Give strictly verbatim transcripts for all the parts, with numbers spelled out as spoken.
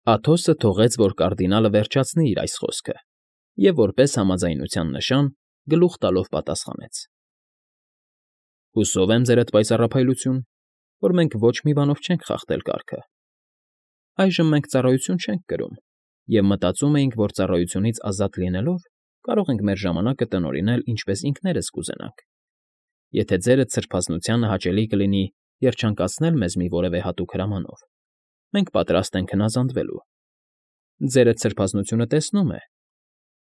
Աթոսը թողեց, որ կարդինալը վերջացնի իր այս խոսքը և, որպես համաձայնության նշան, գլուխ տալով պատասխանեց. ֊ Հուսով եմ, Ձերդ Պայծառափայլություն, որ մենք ոչ մի բանով չենք խախտել կարգը. այժմ մենք ծառայություն չենք կրում և մտածում էինք, որ ծառայությունից ազատ լինելով կարող ենք մեր ժամանակը տնօրինել ինչպես ինքներս կուզենանք. եթե Ձերդ սրբազնությանը հաճելի կլինի երջանկացնել մեզ մի որևէ հատուկ հրամանով, մենք պատրաստ ենք հնազանդվելու։ ֊ Ձերդ սրբազնությունը տեսնում է,֊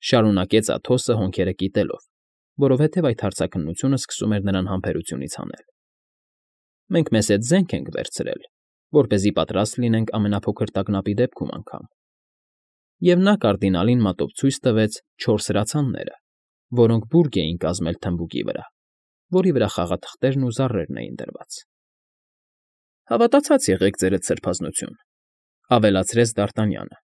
շարունակեց Աթոսը հոնքերը կիտելով, որովհետև այդ հարցաքննությունը սկսում էր նրան համբերությունից հանել։ «Մենք մեզ հետ զենք ենք վերցրել, որպեսզի պատրաստ լինենք ամենափոքր տագնապի դեպքում անգամ»։ Եվ նա կարդինալին մատով ցույց տվեց չորս հրացանները, որոնք բուրգ էին կազմել թմբուկի վրա, որի վրա խաղաթղթերն ու զառերն էին դրված։ ֊ Հավատացած եղեք, Ձերդ սրբազնություն,֊ ավելացրեց Դ'Արտանյանը,֊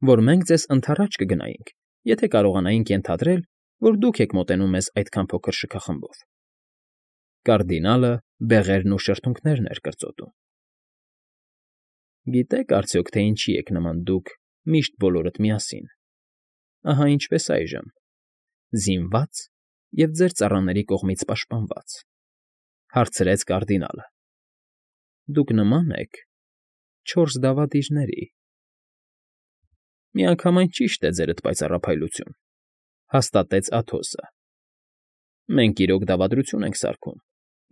որ մենք ձեզ ընդառաջ կգնայինք, եթե կարողանայինք ենթադրել, որ դուք եք մոտենում մեզ այդքան փոքր շքախմբով։ Կարդինալը բեղերն ու շրթունքներն էր կրծոտում։ ֊ Գիտե՞ք արդյոք, թե ինչի եք նման դուք միշտ բոլորդ միասին, ահա ինչպես այժմ, զինվա՞ծ և ձեր ծառաների կողմից պաշտպանված,֊ հարցրեց կարդինալը։ ֊ Դուք նման եք չորս դավադիրների։ ֊ Միանգամայն ճիշտ է, Ձերդ Պայծառափայլություն,֊ հաստատեց Աթոսը։ ֊ Մենք իրոք դավադրություն ենք սարքում,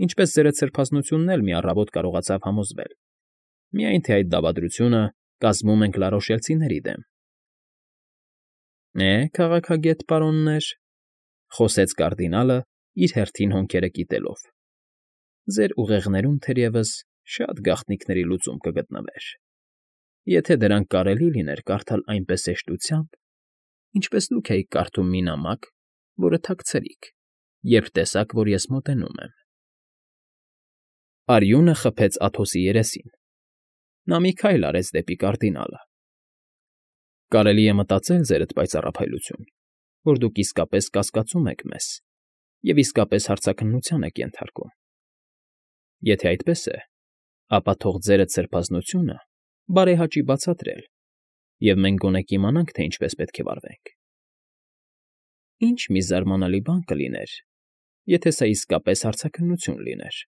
ինչպես Ձերդ սրբազնությունն էլ մի առավոտ կարողացավ համոզվել, միայն թե այդ դավադրությունը կազմում ենք լարոշելցիների դեմ։ ֊ Է, քաղաքագետ պարոններ,֊ խոսեց կարդինալը, իր հերթին հոնքերը կիտելով,֊ ձեր ուղեղներում, թերևս, շատ գաղտնիքների լուծում կգտնվեր, եթե դրանք կարելի լիներ կարդալ այնպես հեշտությամբ, ինչպես դուք էիք կարդում մի նամակ, որը թաքցրիք, երբ տեսաք, որ ես մոտենում եմ։ Արյունը խփեց Աթոսի երեսին։ Նա մի քայլ արեց դեպի կարդինալը։ ֊ Կարելի է մտածել, Ձերդ Պայծառափայլություն, որ դուք իսկապես կասկածում եք մեզ և իսկապես հարցաքննության եք ենթարկում։ Եթե այդպես է, ապա թող Ձերդ սրբազնությունը բարեհաճի բացատրել, և մենք գոնե կիմանանք, թե ինչպես պետք է վարվենք։ ֊ Ինչ մի զարմանալի բան կլիներ, եթե սա իսկապես հարցաքննություն լիներ,֊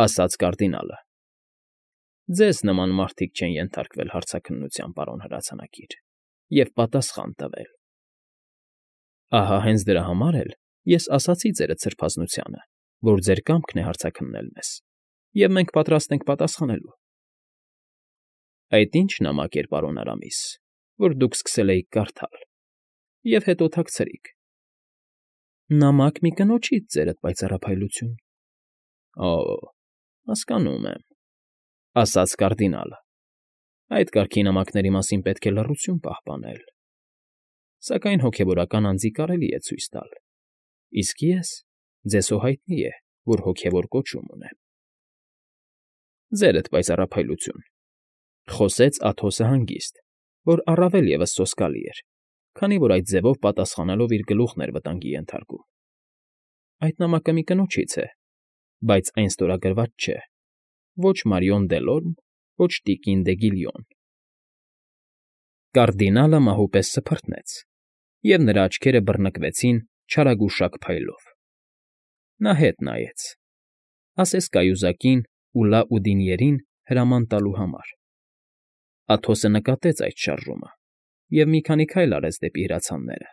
ասաց կարդինալը։ ֊ Ձեզ նման մարդիկ չեն ենթարկվել հարցաքննության, պարոն հրացանակիր, և պատասխան տվել։ ֊ Ահա հենց դրա համար էլ ես ասացի Ձերդ սրբազնությանը, որ ձեր կամքն է հարցաքննել մեզ, և մենք պատրաստ ենք պատասխանելու։ ֊ Այդ ի՞նչ նամակ էր, պարոն Արամիս, որ դուք սկսել էիք կարդալ, և հետո թաքցրիք։ ֊ Նամակ մի կնոջից, Ձերդ Պայծառափայլություն։ ֊ Օ՜, հասկանում եմ,֊ ասաց կարդինալը,֊ այդ կարգի նամակների մասին պետք է լռություն պահպանել, սակայն հոգևորական անձի կարելի է ցույց տալ, իսկ ես, ձեզ հո հայտնի է, որ հոգևոր կոչում ունեմ։ ֊ Ձերդ Պայծառափայլություն,֊ խոսեց Աթոսը հանգիստ, որ առավել ևս սոսկալի էր, քանի որ այդ ձևով պատասխանելով իր գլուխն էր վտանգի ենթարկում,֊ այդ նամակը մի կնոջից է, բայց այն ստորագրված չէ, ոչ Մարիոն Դելորմ, ոչ տիկին դե Գիլյոն։ Կարդինալը մահու պես սփռտնեց, և նրա աչքերը բռնկվեցին չարագուշակ փայլով։ Նա հետ նայեց, ասես կայուզակին ու Լաուդինիերին հրաման տալու համար։ Աթոսը նկատեց այդ շարժումը և մի քանի քայլ արեց դեպի հրացանները,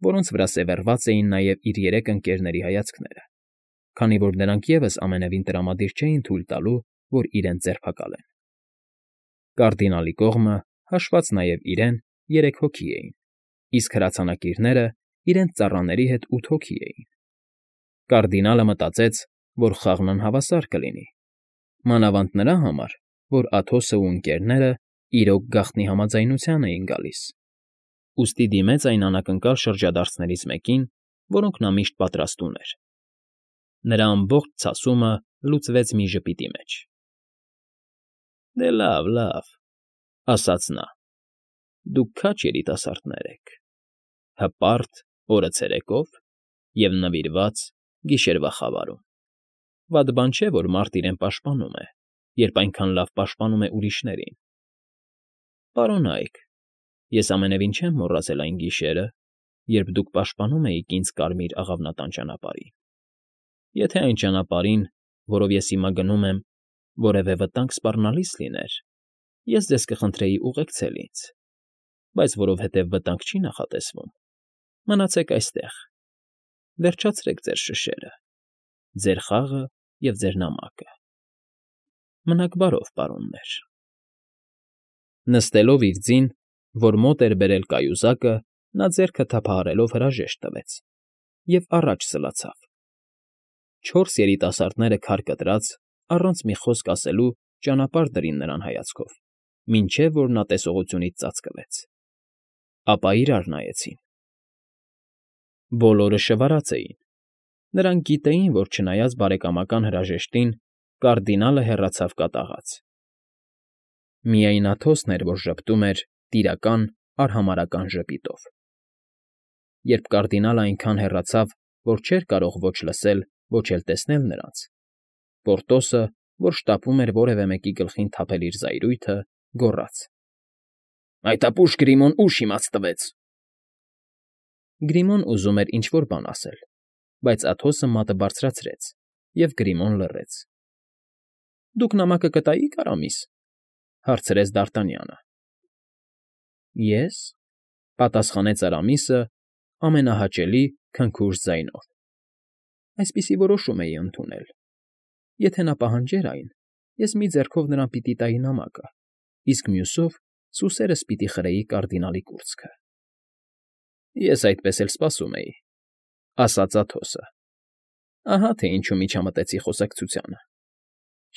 որոնց վրա սևեռված էին նաև իր երեք ընկերների հայացքները, քանի որ նրանք ևս ամենևին տրամադիր չէին թույլ տալու, որ իրենց ձերբակալեն։ Կարդինալի կողմը, հաշված նաև իրեն, երեք հոգի էին, իսկ հրացանակիրները իրենց ծառաների հետ ութ հոգի էին։ Կարդինալը մտածեց, որ խաղն անհավասար կլինի, մանավանդ նրա համար, որ Աթոսն ու ընկերները իրոք գաղտնի համաձայնության էին գալիս, ուստի դիմեց այն անակնկալ շրջադարձներից մեկին, որոնք նա միշտ պատրաստ ուներ։ Նրա ամբողջ ցասումը լուծվեց մի ժպիտի մեջ։ ֊ Դե լավ, լավ,֊ ասաց նա,֊ դուք քաջ երիտասարդներ եք, հպարտ օրը ցերեկով և նվիրված գիշերվա խավարում։ Վատ բան չէ, որ մարդ իրեն պաշտպանում է, երբ այնքան լավ պաշտպանում է ուրիշներին։ Պարոնա՛յք, ես ամենևին չեմ մոռացել այն գիշերը, երբ դուք պաշտպանում էիք ինձ կարմիր աղավնատան ճանապարհին. եթե այն ճանապարհին, որով ես հիմա գնում եմ, որևէ վտանգ սպառնալից լիներ, ես ձեզ կխնդրեի ուղեկցել ինձ, բայց որովհետև վտանգ չի նախատեսվում, մնացեք այստեղ, վերջացրեք ձեր շշերը, ձեր խաղը և ձեր նամակը։ Մնաք բարով, պարոններ… Նստելով իր ձին, որ մոտ էր բերել կայուզակը, նա ձեռքը թափահարելով հրաժեշտ տվեց և առաջ սլացավ. չորս երիտասարդները քար կտրած, առանց մի խոսք ասելու ճանապարհ դրին նրան հայացքով, մինչև որ նա տեսողությունից ծածկվեց, ապա իրար նայեցին. բոլորը շվարած էին, նրանք գիտեին, որ չնայած բարեկամական հրաժեշտին, կարդինալը հեռացավ կատաղած. միայն Աթոսն էր, որ ժպտում էր տիրական, արհամարհական ժպիտով։ Երբ կարդինալը այնքան հեռացավ, որ չէր կարող ոչ լսել, ոչ էլ տեսնել նրանց, Պորտոսը, որ շտապում էր որևէ մեկի գլխին թափել իր զայրույթը, գոռաց. ֊ Այդ ապուշ Գրիմոն ուշ իմաց տվեց… Գրիմոն ուզում էր ինչ֊որ բան ասել, բայց Աթոսը մատը բարձրացրեց, և Գրիմոն լռեց։ ֊ Դուք նամակը կտայի՞ք, Արամիս,֊ հարցրեց դարտանյանը։ ֊ Ես,֊ պատասխանեց Արամիսը ամենահաճելի, քնքուշ ձայնով,֊ այսպիսի որոշում էի ընդունել. եթե նա պահանջեր այն, ես մի ձեռքով նրան պիտի տայի նամակը, իսկ մյուսով սուսերս պիտի խրեի կարդինալի կուրծքը։ ֊ Ես այդպես էլ սպասում էի,֊ ասաց Աթոսը։ Ահա թե ինչու միջամտեցի խոսակցությանը…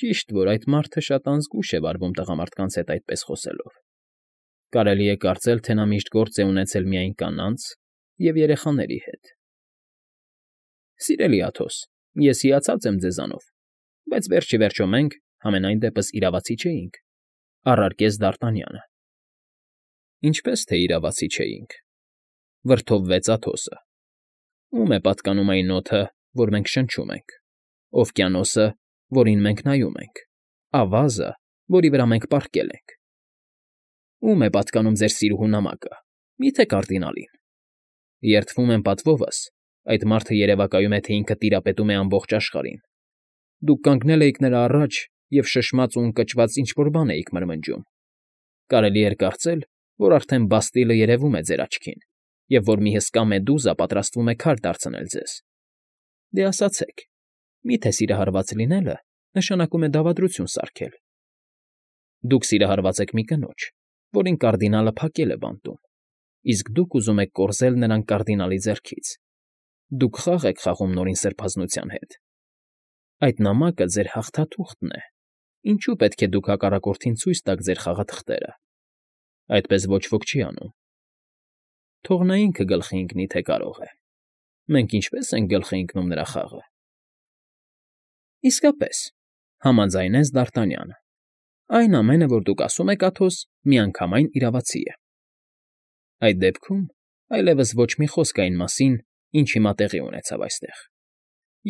Ճիշտ, որ այդ մարդը շատ անզգույշ է վարվում տղամարդկանց հետ այդպես խոսելով… Կարելի է կարծել, թե նա միշտ գործ է ունեցել միայն կանանց և երեխաների հետ։ ֊ Սիրելի Աթոս, ես հիացած եմ ձեզանով, բայց վերջ ի վերջո մենք, համենայն դեպս, իրավացի չէինք,֊ առարկեց Դարտանյանը։ ֊ Ինչպե՞ս թե իրավացի չէինք,֊ վրդովվեց Աթոսը։ ֊ Ո՞ւմ է պատկանում այն օդը, որ մենք շնչում ենք, օվկիանոսը, որին մենք նայում ենք, ավազը, որի վրա մենք պառկել ենք… Ո՞ւմ է պատկանում ձեր սիրուհու նամակը, մի՞թե կարդինալին… Երդվում եմ պատվովս, այդ մարդը երևակայում է, թե ինքը տիրապետում է ամբողջ աշխարհին… Դուք կանգնել էիք նրա առաջ և շշմած ու ընկճված ինչ֊որ բան էիք մրմնջում… Կարելի էր կարծել, որ արդեն Բաստիլը երևում է ձեր աչքին, և որ մի հսկա մեդուզա պատրաստվում է քար դարձնել ձեզ… Դե ասացեք, մի՞թե սիրահարված լինելը նշանակում է դավադրություն սարքել… Դուք սիրահարված եք մի կնոջ, որին կարդինալը փակել է բանտում, իսկ դուք ուզում եք կորզել նրան կարդինալի ձեռքից… Դուք խաղ եք խաղում Նորին Սրբազնության հետ… Այդ նամակը ձեր հաղթաթուղթն է, ինչո՞ւ պետք է դուք հակառակորդին ցույց տաք ձեր խաղաթղթերը… Այդպես ոչ ոք չի անում… Թող նա ինքը գլխի ընկնի, թե կարող է… Մենք ինչպե՞ս ենք գլխի ընկնում նրա խաղը… ֊ Իսկապես,֊ համաձայնեց Դարտանյանը,֊ այն ամենը, որ դուք ասում եք, Աթոս, միանգամայն իրավացի է… Այդ դեպքում այլևս ոչ մի խոսք այն մասին, ինչ հիմա տեղի ունեցավ այստեղ…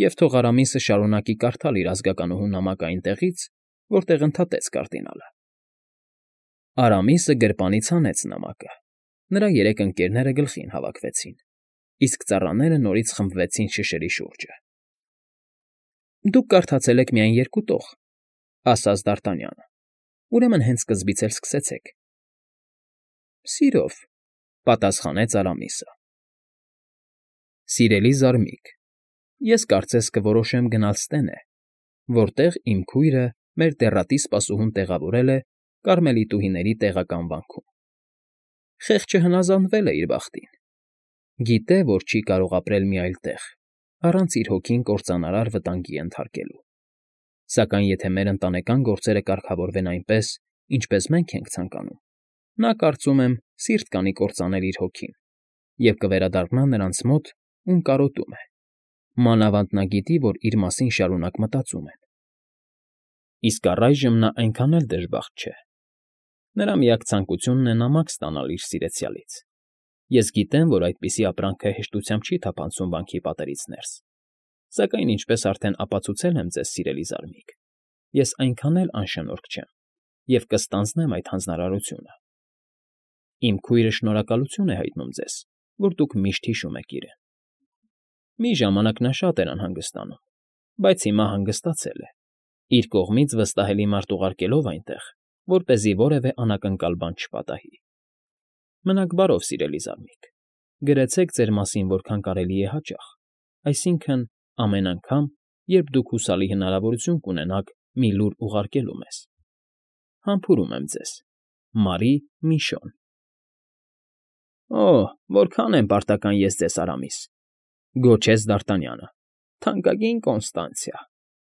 Եվ թող Արամիսը շարունակի կարդալ իր ազգականուհու նամակը այնտեղից, որտեղ ընդհատեց կարդինալը… Արամիսը գրպանից հանեց նամակը, նրա երեք ընկերները գլխին հավաքվեցին, իսկ ծառաները նորից խմբվեցին շշերի շուրջը։ ֊ Դուք կարդացել եք միայն երկու տող,֊ ասաց Դարտանյանը,֊ ուրեմն հենց սկզբից էլ սկսեցեք… ֊ Սիրով,֊ պատասխանեց Արամիսը։ ֊ Սիրելի զարմիկ, ես կարծես կորոշեմ գնալ ստենե, որտեղ իմ քույրը մեր դեռատի սպասուհուն տեղավորել է կարմելիտուհիների տեղական վանքում… Խեղճը հնազանդվել է իր բախտին… Գիտե, որ չի կարող ապրել մի այլ տեղ, առանց իր հոգին կործանարար վտանգի ենթարկելու… Սակայն եթե մեր ընտանեկան գործերը կարգավորվեն այնպես, ինչպես մենք ենք ցանկանում, նա, կարծում եմ, սիրտ կանի կործանել իր հոգին և կվերադառնա նրանց մոտ, ում կարոտում է… Մանավանդ նա գիտի, որ իր մասին շարունակ մտածում են… Իսկ առայժմ նա այնքան էլ դժբախտ չէ… Նրա միակ ցանկությունն է նամակ ստանալ իր սիրեցյալից… Ես գիտեմ, որ այդպիսի ապրանքը հեշտությամբ չի թափանցում վանքի պատերից ներս… Սակայն, ինչպես արդեն ապացուցել եմ ձեզ, սիրելի զարմիկ, ես այնքան էլ անշնորհք չեմ և կստանձնեմ այդ հանձնարարությունը… Իմ քույրը շնորհակալություն է հայտնում ձեզ, որ դուք միշտ հիշում եք իրեն։ Մի ժամանակ նա շատ էր անհանգստանում, բայց հիմա հանգստացել է, իր կողմից վստահելի մարդ ուղարկելով այնտեղ, որպեսզի որևէ անակնկալ բան չպատահի։ Մնաք բարով, սիրելի զարմիկ, գրեցեք ձեր մասին որքան կարելի է հաճախ, այսինքն՝ ամեն անգամ, երբ դուք հուսալի հնարավորություն կունենաք մի լուր ուղարկելու մեզ։ Համբուրում եմ ձեզ, Մարի Միշոն։ Օ՜, որքան եմ պարտական ես ձեզ, Արամիս,֊ գոչեց Դ'Արտանյանը։֊ Թանկագին Կոնստանցիա…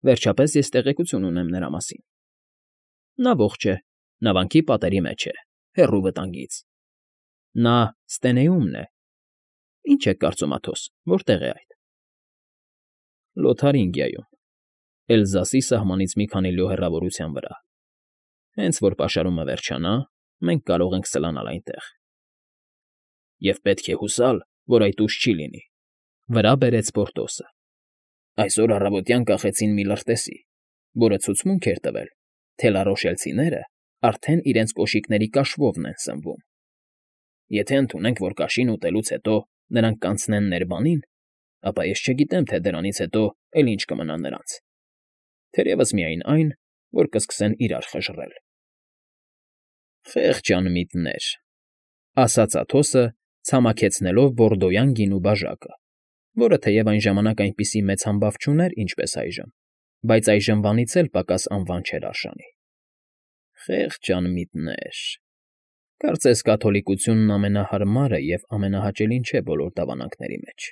Վերջապես ես տեղեկություն ունեմ նրա մասին։ Նա ողջ է, նավանքի պատերի մեջ է, հեռու վտանգից։ Նա Ստենեումն է։ Ինչ եք կարծում, Աթոս, որտե՞ղ է այդ։ Լոթարինգիայում, Էլզասի սահմանից մի քանի լյո հեռավորության վրա։ Հենց որ պաշարումը վերջանա, մենք կարող ենք ստանալ այնտեղ։ Եվ պետք է հուսալ, որ այդ ուշ չի լինի,֊ վրա բերեց Պորտոսը։ Այսօր առավոտյան կախեցին մի լրտեսի, որը ցուցմունք էր տվել, թե լարոշելցիները արդեն իրենց կոշիկների կաշվովն են սնվում։ Եթե ընդունենք, որ կաշին ուտելուց հետո նրանք կանցնեն Ներբանին, ապա ես չգիտեմ, թե դրանից հետո էլ ինչ կմնա նրանց, թերևս միայն այն, որ կսկսեն իրար խժռել։ Խեղճ անմիտներ,֊ ասաց Աթոսը, ցամաքեցնելով բորդոյան գինու բաժակը, որը թեև այն ժամանակ այնպիսի մեծ համբավ չուներ, ինչպես այժմ, բայց այժմվանից էլ պակաս անվան չէր արժանի։ Խեղճ անմիտներ… Կարծես կաթոլիկությունն ամենահարմարը և ամենահաճելին չէ բոլոր դավանանքների մեջ,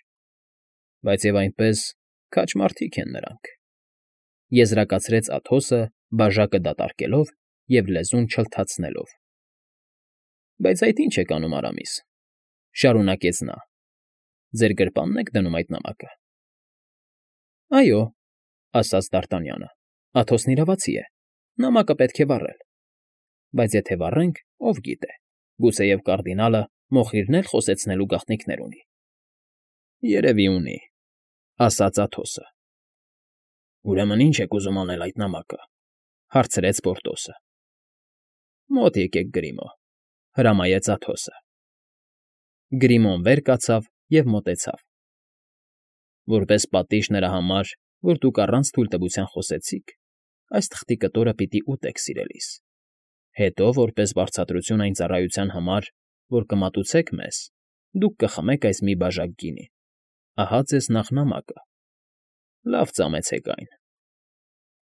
բայց և այնպես քաջ մարդիկ են նրանք,֊ եզրակացրեց Աթոսը, բաժակը դատարկելով և լեզուն չլթացնելով։ Բայց այդ ինչ եք անում, Արամիս,֊ շարունակեց նա,֊ ձեր գրպանն եք դնում այդ նամակը։ Այո,֊ ասաց Դ'Արտանյանը,֊ Աթոսն իրավացի է, նամակը պետք է վառել։ Բայց եթե վառենք, ով գիտե, գուցեև կարդինալը մոխիրն էլ խոսեցնելու գաղտնիքներ ունի։ Երևի ունի,֊ ասաց Աթոսը։ Ուրեմն ի՞նչ եք ուզում անել այդ նամակը,֊ հարցրեց Պորտոսը։ Մոտ եկեք, Գրիմո,֊ հրամայեց Աթոսը։ Գրիմոն վեր կացավ և մոտեցավ։ Որպես պատիժ նրա համար, որ դուք առանց թույլտվության խոսեցիք, այս թղթի կտորը պիտի ուտեք, սիրելիս, հետո, որպես վարձատրություն այն ծառայության համար, որ կմատուցեք մեզ, դուք կխմեք այս մի բաժակ գինի, ահա ձեզ նախ նամակը, լավ ծամեցեք այն։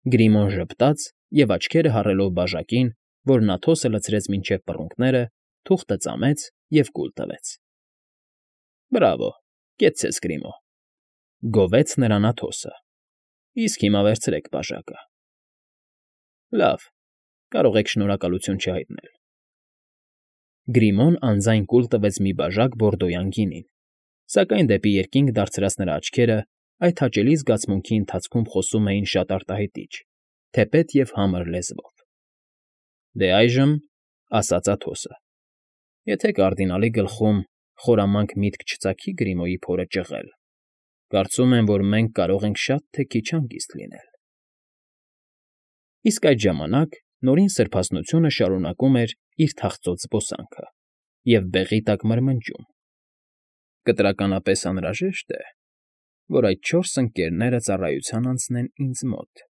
Գրիմոն ժպտաց և աչքերը հառելով բաժակին, որն Աթոսը լցրեց մինչև պռունգները, թուղթը ծամեց և կուլ տվեց։ Բրավո, կեցցես, Գրիմո,֊ գովեց նրան Աթոսը։ Իսկ հիմա վերցրեք բաժակը։ Լավ, կարող եք շնորհակալություն չհայտնել։ Գրիմոն անձայն կուլ տվեց մի բաժակ բորդոյան գինին, սակայն դեպի երկինք դարձրած նրա աչքերը այդ հաճելի զգացմունքի ընթացքում խոսում էին շատ արտահայտիչ, թեպետ և համր լեզվով։ Դե այժմ,֊ ասաց Աթոսը,֊ եթե կարդինալի գլխում խորամանկ միտք չծագի Գրիմոյի փորը ճղել, կարծում եմ, որ մենք կարող ենք շատ թե քիչ հանգիստ լինել։ Իսկ այդ ժամանակ Նորին սրբազնությունը շարունակում էր իր թախծոց զբոսանքը և բեղի տակ մրմնջում։ Կտրականապես անհրաժեշտ է, որ այդ չորս ընկներները ծառայության անցնեն ինձ մոտ։